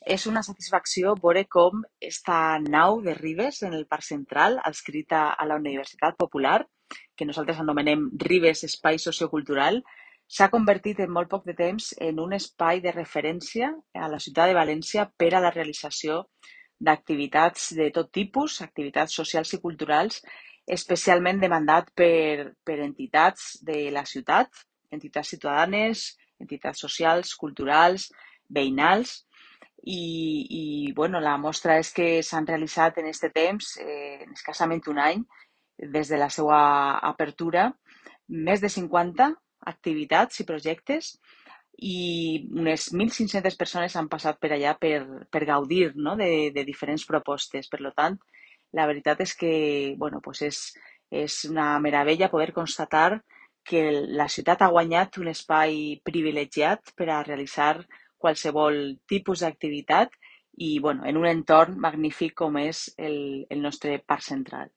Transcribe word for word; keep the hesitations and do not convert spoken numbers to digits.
És una satisfacció veure com esta nau de Ribes en el Parc Central, adscrita a la Universitat Popular, que nosaltres anomenem Ribes Espai Sociocultural, s'ha convertit en molt poc de temps en un espai de referència a la ciutat de València per a la realització d'activitats de tot tipus, activitats socials i culturals, especialment demandat per, per entitats de la ciutat, entitats ciutadanes, entitats socials, culturals, veïnals, i, i bueno, la mostra és que s'han realitzat en aquest temps, eh, en escassament un any, des de la seva apertura, més de cinquanta activitats i projectes i unes mil cinc-centes persones han passat per allà per, per gaudir, no? de, de diferents propostes. Per tant, la veritat és que bueno, pues és, és una meravella poder constatar que la ciutat ha guanyat un espai privilegiat per a realitzar qualsevol tipus d'activitat i bueno, en un entorn magnífic com és el, el nostre parc central.